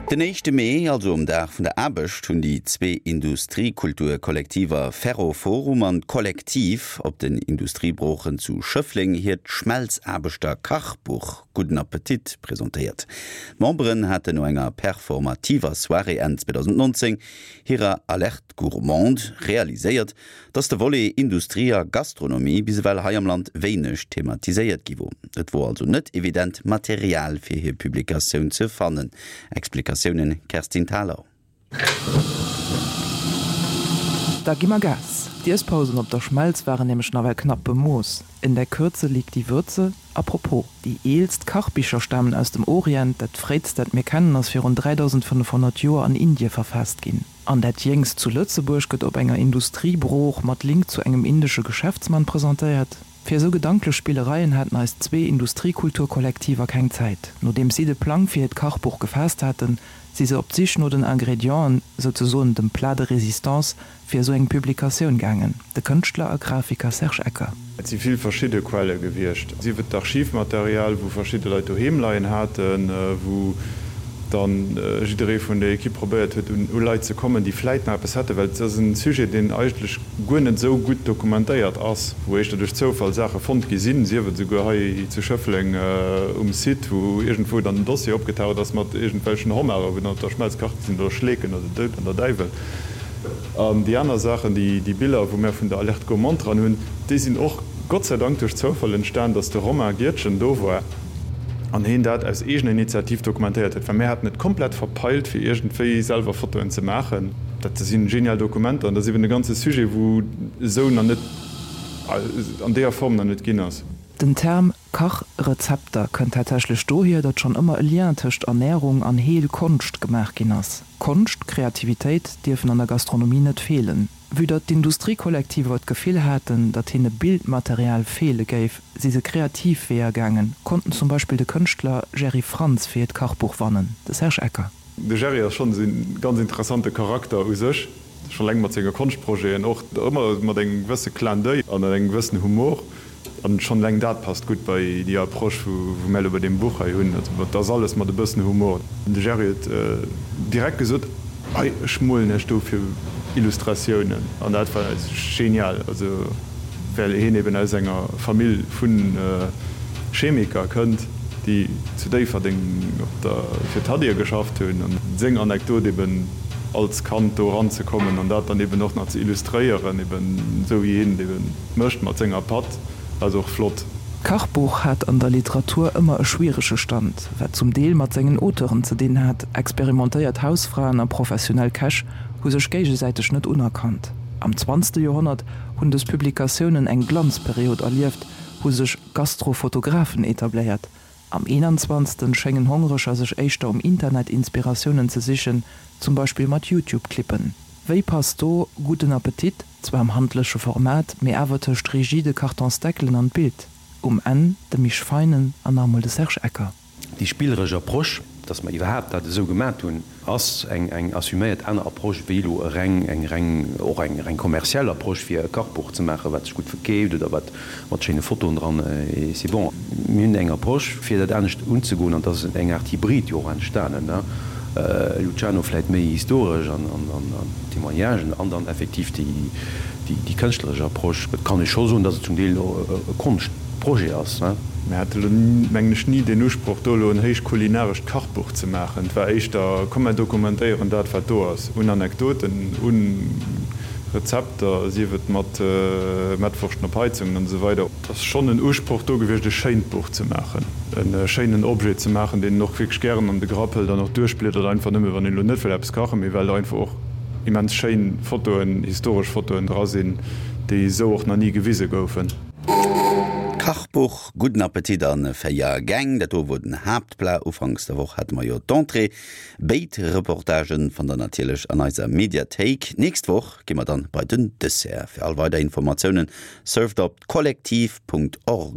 Den éischte Mee, also um Dag vun der Aarbecht, hunn déi zwee Industriekulturkollektiver Ferroforum an Kollektiv op den Industriebroochen zu Schëffleng hiert Schmelzaarbechter-Kachbuch Gudden Appetit presentéiert. D'Memberen haten no enger performativer Soirée Enn 2019 hirer Alerte gourmande realiséiert, dass de Volet Industrie a Gastronomie bis ewell hei am Land wéineg thematiséiert gi wor. Et wor also net evident, Material fir hir Publikatioun ze fannen. Explikatiounen, Kerstin Thalau. Da gi mer Gas! D'Iesspausen op der Schmelz waren nämlech nawell knapp bemooss. In der Kürze liegt die Würze. A propos, déi eelst Kachbicher stamen aus dem Orient, dat fréitst dat mir kennen ass virun 3500 Joer an Indie verfaasst ginn. An dat jéngst zu Lëtzebuerg gëtt op enger Industriebrooch mat Link zu engem indesche Geschäftsmann presentéiert. Fir esou gedanklech Spillereien haten eis zwee Industriekulturkollektiver keng Zäit. Nodeems si de Plang fir hiert Kachbuch gefaasst haten, si se op d'Sich no den Ingredienten, souzesoen dem Plat de résistance, fir esou eng Publikatioun gaangen, de Kënschtler a Grafiker Serge Ecker. Et si vill verschidde Quelle gewiescht, sief et d'Archivmaterial, wou verschidde Leit doheem leien haten, wou dann jidderee vun der Equipe probéiert huet, u Leit ze kommen, déi vläit nach eppes hätten, well et ass e Sujet, deen eigentlech guer net esou gutt dokumentéiert ass, wou éischter duerch Zoufall Saache fonnt gi sinn, sief et esouguer hei zu Schëffleng um Site, wou iergendwou dann en Dossier opgetaucht ass mat iergendwelchen Hommarer, wou dann op der Schmelz kacht gi sinn, oder Schleeken oder den Doud an der Däiwel. An déi aner Saachen, déi Biller, wou mär vun der Alerte gourmande dran hunn, déi sinn och Gott sei Dank duerch Zoufall entstan, dass de Romain Giertgen do war an heen dat aus eegener Initiativ dokumentéiert huet, well mär haten et komplett verpeilt, fir iergendwéi selwer Fotoen ze maachen. Dat si genial Dokumenter an dat ass eben e ganze Sujet, wou esou nach net, an deeër Form nach net ginn ass. Den Term Kachrezepter kënnt tatsächlech dohier, datt schonn ëmmer e Lien tëscht Ernärung an Heelkonscht gemaach ginn ass. Konscht, Kreativitéit dierfen an der Gastronomie net feelen. Vue datt d'Industriekollektiver d'Gefill haten, datt hinne Bildmaterial feele géif, si se kreativ Weeër gaangen, konnten zum Beispill de Kënschtler Jerry Frantz fir hiert Kachbuch wannen. De Serge Ecker. De Jerry ass schonn esou e ganz interessante Charakter u sech, schonn eleng mat senge Konschtprojeten, och ëmmer mat engem gewësse Clin d'oeil an engem gewëssen Humor. An schonn eleng dat passt gutt bei déi Approche, wou mär elo bei deem Buch hei hunn. Also et ass alles mat e bëssen Humor. De Jerry huet direkt gesot, Hei, ech molen iech dofir Illustratiounen. An dat war genial, also well hien eben aus enger Famill vu Chemiker kënnt, déi zu Déifferdeng op der fir d'Hadir geschafft hunn. An seng Anekdot eben als Kand do eranzekommen an dat dann eben och nach ze illustréieren, eben esou wéi hien et eben Mécht mat senger Patt, ass och flott. D'Kachbuch hat an der Literatur ëmmer e schwierege Stand, wat zum Deel mat sengen Auteuren ze dinn hat. Experimentéiert Hausfraen a professionell Käch hu sech géigesäiteg net unerkannt. Am zwanzte Joerhonnert hunn dës Publikatiounen eng Glanzperiod erlieft, hu sech Gastrofotografen etabléiert. Am eenanzwanzegsten schéngen Hongereger sech éischter um Internet Inspiratiounen ze sichen, zum Beispill mat YouTube-Clippen. Wéi passt do Gudden Appetit, zwar am handleche Format, mee awer tëscht rigide Kartonsdeckelen an d'Bild? Um Enn de Misch Feinen an nach emol de Serge Ecker. Déi spilleresch Approche, dass mer iwwerhaapt dat esou gemat hunn, ass eng eng assuméiert aner Approche wéi elo e reng eng reng och eng reng kommerziell Approche fir e Kachbuch ze maachen, wat sech gutt verkeeft oder wat mat schéine Fotoen dran et c'est bon. Mir hunn eng Approche fir dat anescht unzegoen an et ass eng Aart Hybrid jo och entstanen, ne Luciano, vläit méi historesch an an Témoignagen an dann effektiv déi déi kënschtleresch Approche. Et kann ee scho soen, datt et zum Deel e Konscht. Projet ass. Mir hate lo, mengen ech, ni deen Usproch, do elo en héich kulinarescht Kachbuch ze maachen. Et war éischter, komm mer dokumentéieren dat, wat do ass, un Anekdoten, u Rezepter, sief et mat Mettwurschten op Heizungen an esou weider. Et ass schonn en Usproch do gewiescht, e schéint Buch ze maachen, e schéinen Objet ze maachen, deen een och wierklech gären an de Grapp hëlt an och duerchbliedert, einfach nëmme wann een elo net wëll eppes kachen, mee well einfach och immens schéin Fotoen, historesch Fotoen dra sinn, déi esou och nach ni gewise goufen. Kachbuch, Gudden Appetit an 4 Gäng, dat do wor den Haaptplat. Ufanks der Woch hate mer jo d'Entrée. Béid Reportagen fannt der natierlech an eiser Mediathéik. Nächst Woch gi mer dann bei den Dessert. Fir all weider Informatiounen surft op kollektiv.org.